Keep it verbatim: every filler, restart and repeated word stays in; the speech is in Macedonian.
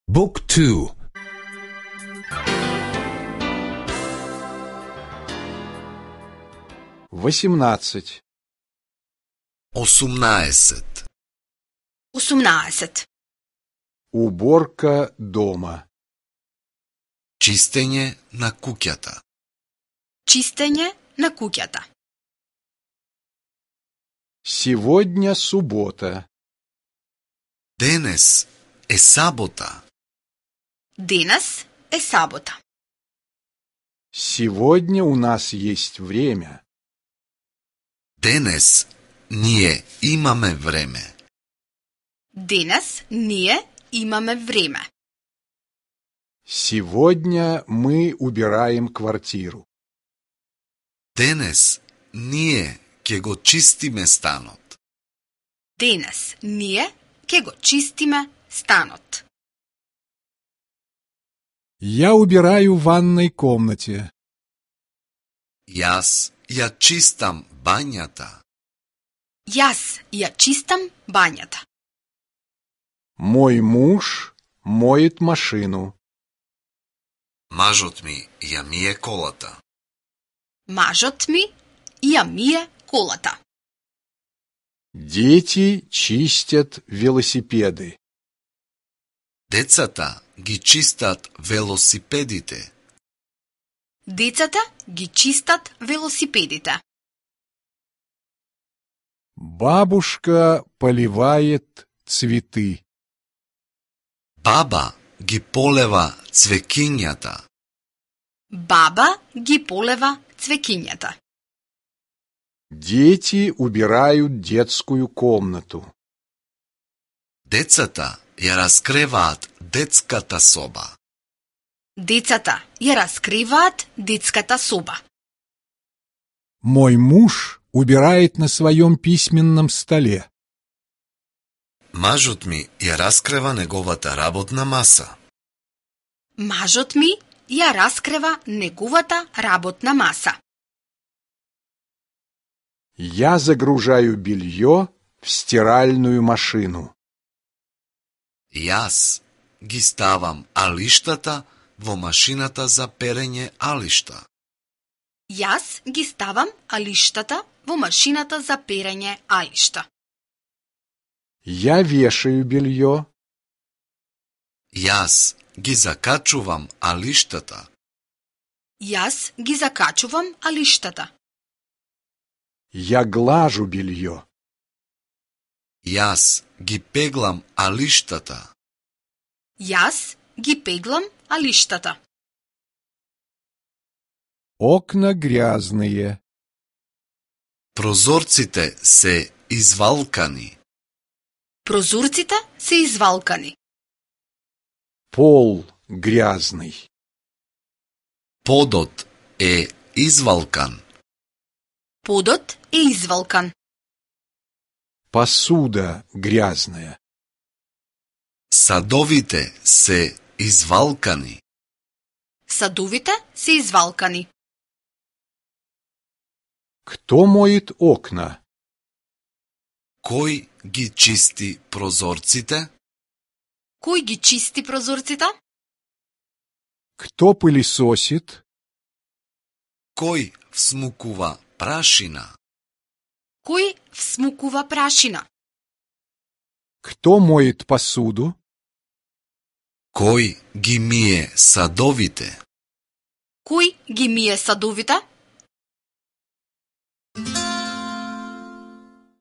Book two. восемнадцать. осумнаесет. осумнаесет. Уборка дома. Чистење на куќата. Чистење на куќата. Сегодня суббота. Денес е сабота. Денес е сабота. Сегодня у нас есть время. Денес ние имаме време. Денес ние имаме време. Сегодня мы убираем квартиру. Денес ние ќе го чистиме станот. Денес ние ќе го чистиме станот. Я убираю в ванной комнате. Јас ја чистам бањата. Јас ја чистам бањата. Мой муж моет машину. Мажот ми ја мие колата. Мажот ми ја мие колата. Дети чистят велосипеды. Децата ги чистат велосипедите. Децата ги чистат велосипедите. Бабушка поливает цветы. Баба ги полева цвекињата. Баба ги полева цвекињата. Дети убирают детскую комнату. Децата ја раскреваат детската соба. Децата ја раскриваат детската соба. Мой муж убирает на своем письменном столе. Мажот ми ја раскрева неговата работна маса. Мажот ми ја раскрева неговата работна маса. Я загружаю белье в стиральную машину. Јас ги ставам алиштата во машината за перење алишта. Јас ги ставам алиштата во машината за перење алишта. Я вешаю белье. Јас ги закачувам алиштата. Јас ги закачувам алиштата. Я глажу белье. Јас ги пеглам алиштата. Јас ги пеглам алиштата. Окна грязные. Прозорците се извалкани. Прозорците се извалкани. Пол грязный. Подот е извалкан. Подот е извалкан. Посуда грязная. Садовите се извалкани. Садовите се извалкани. Кто моет окна? Кој ги чисти прозорците? Кој ги чисти прозорците? Кто пылесосит? Кој всмукува прашина? Кој всмукува прашина? Кто моет посуду? Кој ги мие садовите? Кој ги мие садовите?